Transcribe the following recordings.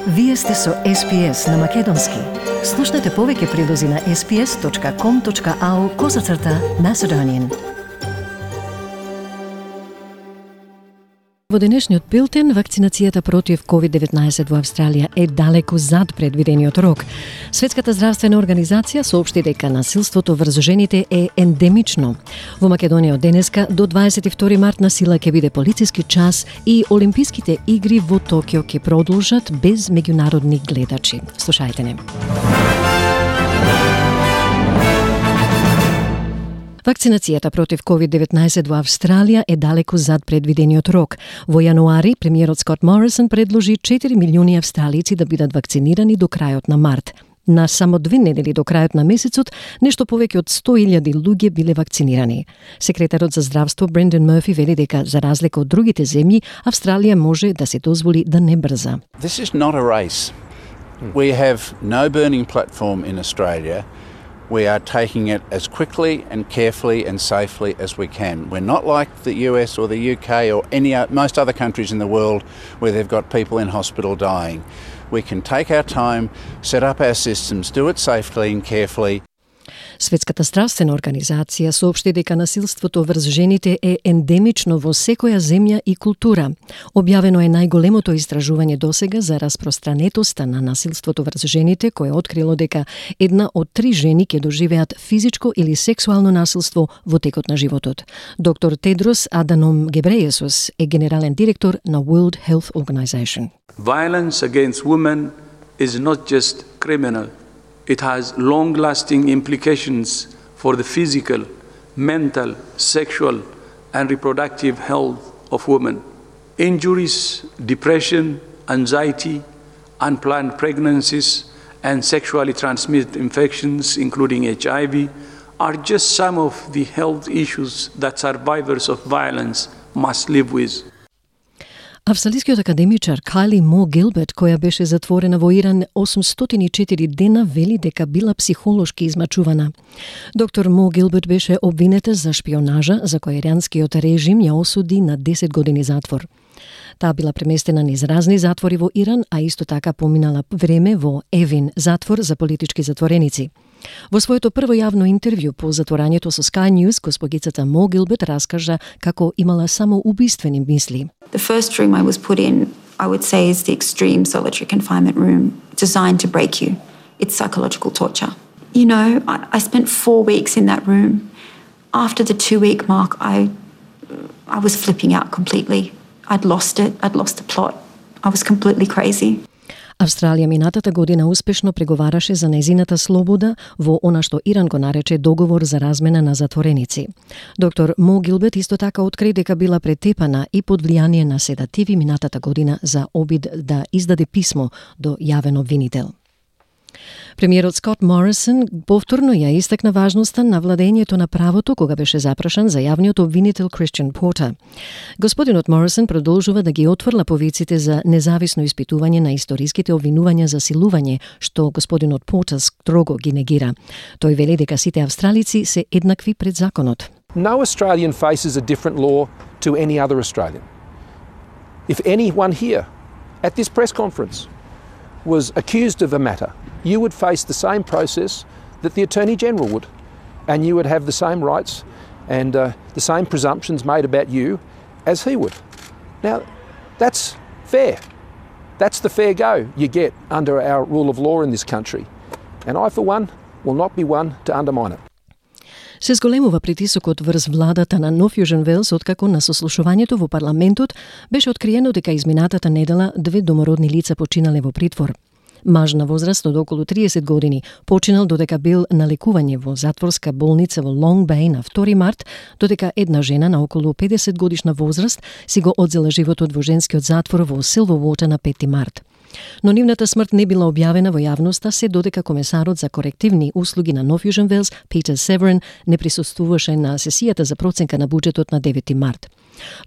Вие сте со SPS на Македонски. Слушнете повеќе прилози на sps.com.au/Macedonian. Во денешниот билтен, вакцинацијата против COVID-19 во Австралија е далеку зад предвидениот рок. Светската здравствена организација соопшти дека насилството врз жените е ендемично. Во Македонија од денеска до 22 март на сила ќе биде полициски час и Олимписките игри во Токио ќе продолжат без меѓународни гледачи. Слушајте не. Вакцинацијата против COVID-19 во Австралија е далеку зад предвидениот рок. Во јануари, премиерот Скот Морисон предложи 4 милиони австралици да бидат вакцинирани до крајот на март. На само 2 недели до крајот на месецот, нешто повеќе од 100.000 луѓе биле вакцинирани. Секретарот за здравство Брендан Мърфи вели дека, за разлика од другите земји, Австралија може да се дозволи да не брза. This is not a race. We have no burning platform in Australia. We are taking it as quickly and carefully and safely as we can. We're not like the US or the UK or most other countries in the world where they've got people in hospital dying. We can take our time, set up our systems, do it safely and carefully. Светската здравствена организација соопшти дека насилството врз жените е ендемично во секоја земја и култура. Објавено е најголемото истражување досега за распространетоста на насилството врз жените, кое открило дека 1 од 3 жени ќе доживеат физичко или сексуално насилство во текот на животот. Доктор Тедрос Аданом Гебрејесус е генерален директор на World Health Organization. Violence against women is not just criminal. It has long-lasting implications for the physical, mental, sexual, and reproductive health of women. Injuries, depression, anxiety, unplanned pregnancies, and sexually transmitted infections, including HIV, are just some of the health issues that survivors of violence must live with. Австралискиот академичар Кайли Мо Гилберт, која беше затворена во Иран 804 дена, вели дека била психолошки измачувана. Доктор Мо Гилберт беше обвинета за шпионажа, за која иранскиот режим ја осуди на 10 години затвор. Таа била преместена низ разни затвори во Иран, а исто така поминала време во Евин, затвор за политички затвореници. Во своето прво јавно интервју по затворањето со Sky News, госпогицата Мо Гилберт раскажа како имала само убиствени мисли. The first room I was put in, I would say, is the extreme solitary confinement room, designed to break you. It's psychological torture. You know, I spent 4 weeks in that room. After the 2-week mark, I was flipping out completely. I'd lost it. I'd lost the plot. I was completely crazy. Австралија минатата година успешно преговараше за нејзината слобода во она што Иран го нарече договор за размена на затвореници. Доктор Мо Гилберт исто така откри дека била претепана и под влијание на седативи минатата година за обид да издаде писмо до јавен обвинител. Премиерот Скот Морисон повторно ја истакна важноста на владењето на правото кога беше запрашан за јавниот обвинител Кристијан Портер. Господинот Морисон продолжува да ги отфрла повиците за независно испитување на историските обвинувања за силување, што господинот Портер строго ги негира. Тој вели дека сите австралици се еднакви пред законот. No Australian faces a different law to any other Australian. If anyone here at this press conference was accused of a matter, you would face the same process that the Attorney General would, and you would have the same rights and the same presumptions made about you as he would. Now, that's fair. That's the fair go you get under our rule of law in this country, and I, for one, will not be one to undermine it. Се зголемува притисокот врз владата на Нов Јужен Велс откако на сослушувањето во парламентот беше откриено дека изминатата недела 2 домородни лица починале во притвор. Маж на возраст од околу 30 години починал додека бил на лекување во затворска болница во Лонг Беј на 2 март, додека една жена на околу 50 годишна возраст си го одзела животот во женскиот затвор во Силвовотер на 5 март. Но нивната смрт не била објавена во јавноста се додека комесарот за корективни услуги на Нов Јужен Велс, Питер Северин, не присуствуваше на сесијата за проценка на буџетот на 9 март.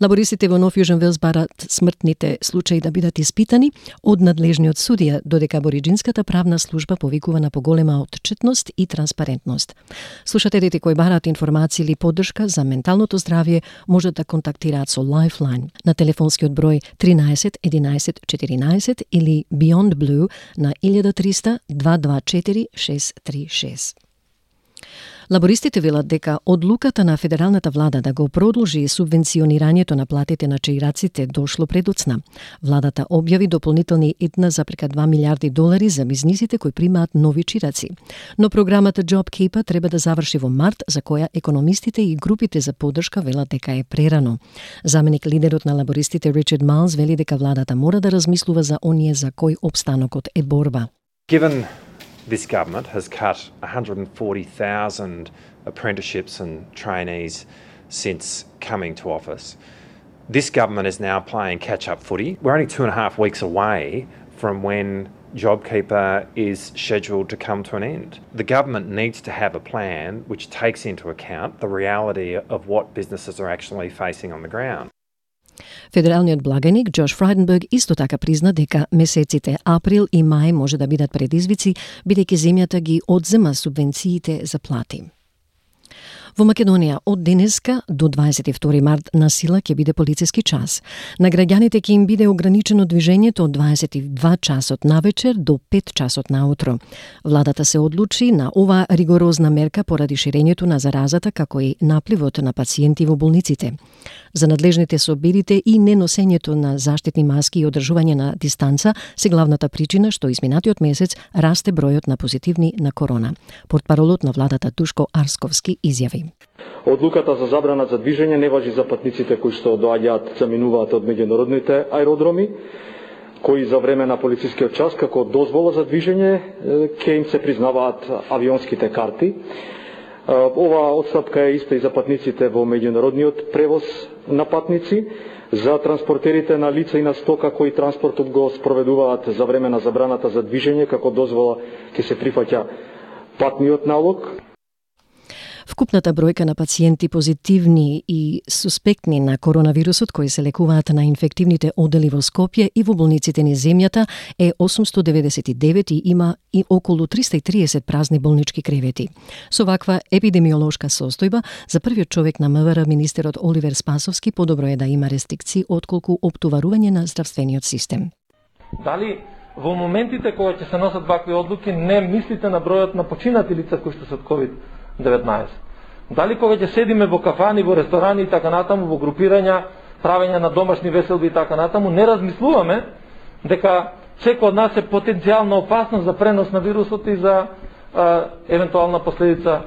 Лабористите во Нов Јужен Велс барат смртните случаи да бидат испитани од надлежниот судија, додека абориџинската правна служба повикува на поголема отчетност и транспарентност. Слушателите кои бараат информации или поддршка за менталното здравје можат да контактираат со Lifeline на телефонскиот број 13 11 14 или Beyond Blue на 1300 224 636. Лабористите велат дека одлуката на федералната влада да го продолжи субвенционирањето на платите на чаираците дошло предоцна. Владата објави дополнителни $1,2 милиарди за бизнисите кои примаат нови чираци. Но програмата JobKeeper треба да заврши во март, за која економистите и групите за поддршка велат дека е прерано. Заменик лидерот на лабористите Ричард Майлс вели дека владата мора да размислува за оние за кои опстанокот е борба. Given this government has cut 140,000 apprenticeships and trainees since coming to office. This government is now playing catch-up footy. We're only 2.5 weeks away from when JobKeeper is scheduled to come to an end. The government needs to have a plan which takes into account the reality of what businesses are actually facing on the ground. Федералниот благаник Джош Фрайденберг исто така призна дека месеците април и мај може да бидат предизвици, бидејќи земјата ги одзема субвенциите за плати. Во Македонија од денеска до 22 март на сила ќе биде полициски час. На граѓаните ќе им биде ограничено движењето од 22 часот навечер до 5 часот наутро. Владата се одлучи на ова ригорозна мерка поради ширењето на заразата како и напливот на пациенти во болниците. За надлежните собирите и неносењето на заштитни маски и одржување на дистанца се главната причина што изминатиот месец расте бројот на позитивни на корона. Портпаролот на владата Душко Арсковски изјави: Одлуката за забрана за движење не важи за патниците кои што доаѓаат, заминуваат од меѓународните аеродроми, кои за време на полицискиот час како дозвола за движење ќе им се признаваат авионските карти. Ова отстапка е иста и за патниците во меѓународниот превоз на патници, за транспортерите на лица и на стока кои транспортот го спроведуваат за време на забраната за движење, како дозвола ќе се прифаќа патниот налог. Вкупната бројка на пациенти позитивни и суспектни на коронавирусот кои се лекуваат на инфективните одели во Скопје и во болниците низ земјата е 899 и има и околу 330 празни болнички кревети. Со ваква епидемиолошка состојба, за првиот човек на МВР, министерот Оливер Спасовски, подобро е да има рестрикции отколку оптоварување на здравствениот систем. Дали во моментите кога ќе се носат вакви одлуки не мислите на бројот на починати лица кои што се од COVID-19? Дали кога ќе седиме во кафани, во ресторани и така натаму, во групирања, правење на домашни веселби и така натаму, не размислуваме дека секој од нас е потенцијална опасност за пренос на вирусот и за евентуална последица.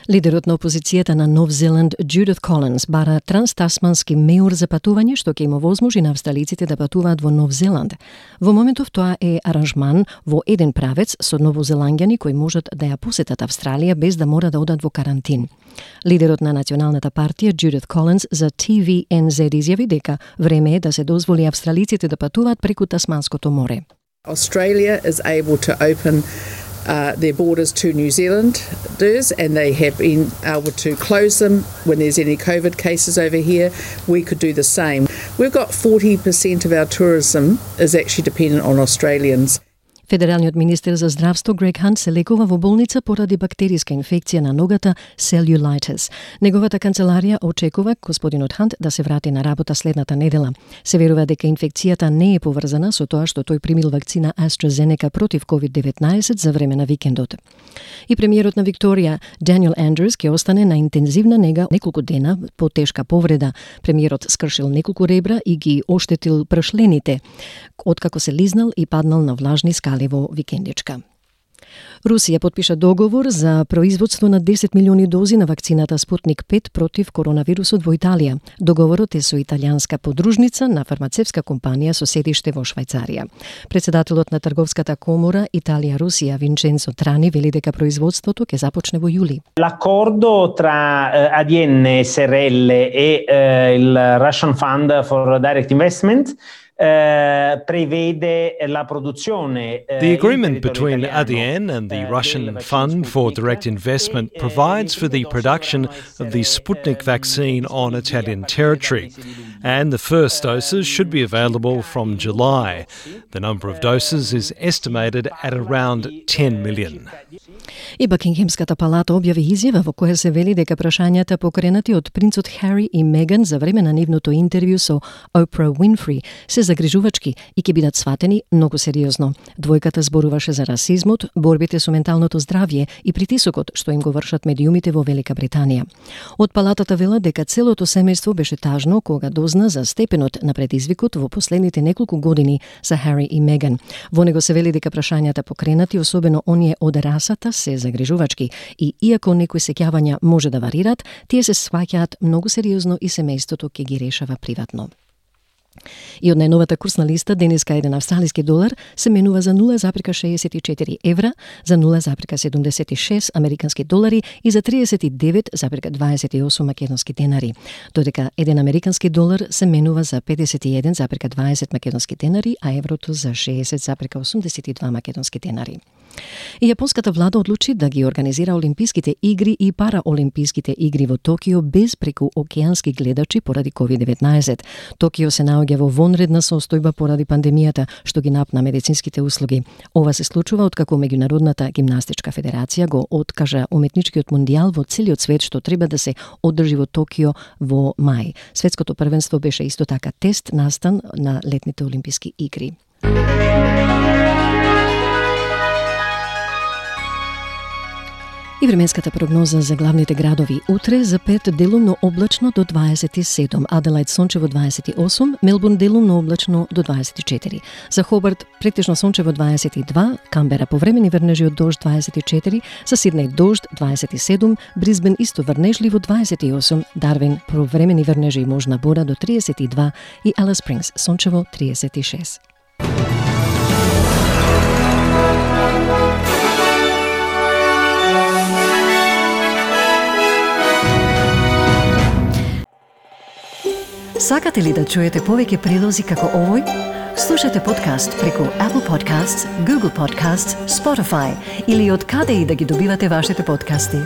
Лидерот на опозицијата на Нов Зеланд Джудит Колинс бара транстасмански меур за патување што ќе им овозможи на австралиците да патуваат во Нов Зеланд. Во моментов тоа е аранжман во еден правец со новозеланѓани кои можат да ја посетат Австралија без да мора да одат во карантин. Лидерот на Националната партија Джудит Колинс за TVNZ изјави дека време е да се дозволи австралиците да патуваат преку Тасманското море. Australia is able to open their borders to New Zealanders, and they have been able to close them when there's any COVID cases over here. We could do the same. We've got 40% of our tourism is actually dependent on Australians. Федералниот министер за здравство Грег Хант се лекува во болница поради бактериска инфекција на ногата cellulitis. Неговата канцеларија очекува господинот Хант да се врати на работа следната недела. Се верува дека инфекцијата не е поврзана со тоа што тој примил вакцина AstraZeneca против COVID-19 за време на викендот. И премиерот на Викторија Даниел Андрюс ќе остане на интензивна нега неколку дена по тешка повреда. Премиерот скршил неколку ребра и ги оштетил прашлените, откако се лизнал и паднал на влажни скали во викендичка. Русија потпиша договор за производство на 10 милиони дози на вакцината Спутник 5 против коронавирусот во Италија. Договорот е со италијанска подружница на фармацевска компанија со седиште во Швајцарија. Председателот на Трговската комора Италија-Русија Винченцо Трани вели дека производството ќе започне во јули. L'accordo tra ADN SRL e il Russian Fund for Direct Investment prevede la produzione. The agreement between ADN and the Russian Fund for Direct Investment provides for the production of the Sputnik vaccine on Italian territory, and the first doses should be available from July. The number of doses is estimated at around 10 million. И Бакингемската палата објави изјава во која се вели дека прашањата покренати од принцот Хари и Меган за време на нивното интервју со Опра Уинфри се загрижувачки и ќе бидат сватени многу сериозно. Двојката зборуваше за расизмот, борбите со менталното здравје и притисокот што им го вршат медиумите во Велика Британија. Од палатата велат дека целото семејство беше тажно кога дозна за степенот на предизвикот во последните неколку години за Хари и Меган. Во него се вели дека прашањата покренати, особено оние од расата, се загрижувачки и иако некои сеќавања може да варират, тие се сваќаат многу сериозно и семејството ќе ги решава приватно. И од најновата курсна листа денеска еден австралиски долар се менува за 0,64 евра, за 0,76 американски долари и за 39,28 македонски денари, додека еден американски долар се менува за 51,20 македонски денари, а еврото за 60,82 македонски денари. И јапонската влада одлучи да ги организира Олимписките игри и Параолимписките игри во Токио без преку океански гледачи поради COVID-19. Токио се наоѓа во вонредна состојба поради пандемијата, што ги напна медицинските услуги. Ова се случува откако Меѓународната гимнастичка федерација го откажа уметничкиот мондијал во целиот свет што треба да се одржи во Токио во мај. Светското првенство беше исто така тест настан на летните олимписки игри. И временската прогноза за главните градови. Утре за Перт делумно облачно до 27, Аделаид сончево 28, Мелбурн делумно облачно до 24. За Хобарт претежно сончево 22, Камбера повремени врнежи од дожд 24, за Сиднеј дожд 27, Брисбен исто врнежливо 28, Дарвин повремени врнежи и можна бора до 32 и Алис Спрингс сончево 36. Сакате ли да чуете повеќе прилози како овој? Слушате подкаст преку Apple Podcasts, Google Podcasts, Spotify или од каде и да ги добивате вашите подкасти.